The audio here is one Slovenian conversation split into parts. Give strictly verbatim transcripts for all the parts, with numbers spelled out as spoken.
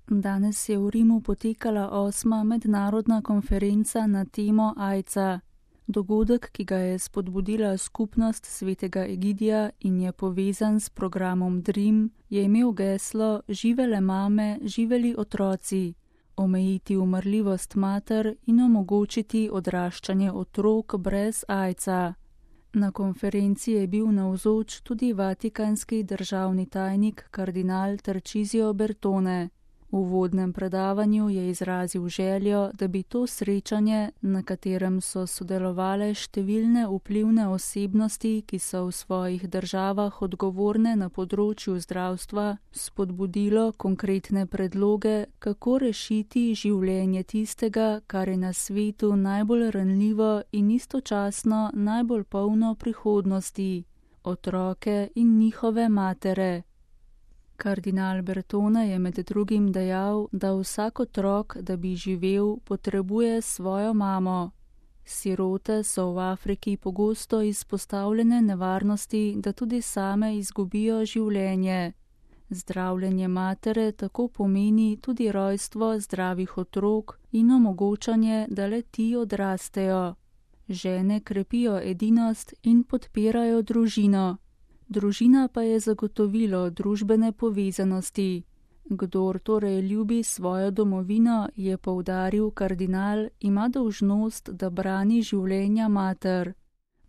Danes je v Rimu potekala osma mednarodna konferenca na temo aidsa. Dogodek, ki ga je spodbudila skupnost svetega Egidija in je povezan s programom Dream, je imel geslo Živele mame, živeli otroci, omejiti umrljivost mater in omogočiti odraščanje otrok brez aidsa. Na konferenci je bil navzoč tudi vatikanski državni tajnik kardinal Tarcisio Bertone. V uvodnem predavanju je izrazil željo, da bi to srečanje, na katerem so sodelovale številne vplivne osebnosti, ki so v svojih državah odgovorne na področju zdravstva, spodbudilo konkretne predloge, kako rešiti življenje tistega, kar je na svetu najbolj ranljivo in istočasno najbolj polno prihodnosti, otroke in njihove matere. Kardinal Bertone je med drugim dejal, da vsak otrok, da bi živel, potrebuje svojo mamo. Sirote so v Afriki pogosto izpostavljene nevarnosti, da tudi same izgubijo življenje. Zdravljenje matere tako pomeni tudi rojstvo zdravih otrok in omogočanje, da le ti odrastejo. Žene krepijo edinost in podpirajo družino. Družina pa je zagotovilo družbene povezanosti. Kdor torej ljubi svojo domovino, je poudaril kardinal, ima dolžnost, da brani življenja mater.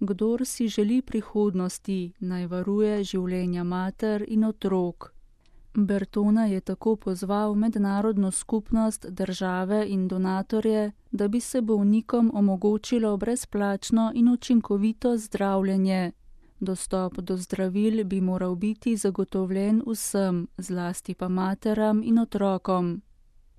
Kdor si želi prihodnosti, naj varuje življenja mater in otrok. Bertone je tako pozval mednarodno skupnost, države in donatorje, da bi se bolnikom omogočilo brezplačno in učinkovito zdravljenje. Dostop do zdravil bi moral biti zagotovljen vsem, zlasti pa materam in otrokom.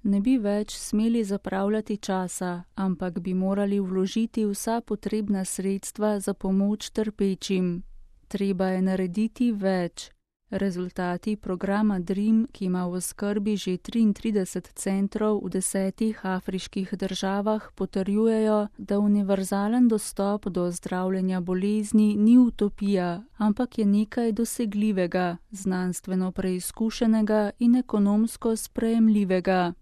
Ne bi več smeli zapravljati časa, ampak bi morali vložiti vsa potrebna sredstva za pomoč trpečim. Treba je narediti več. Rezultati programa Dream, ki ima v skrbi že triintrideset centrov v desetih afriških državah, potrjujejo, da univerzalen dostop do zdravljenja bolezni ni utopija, ampak je nekaj dosegljivega, znanstveno preizkušenega in ekonomsko sprejemljivega.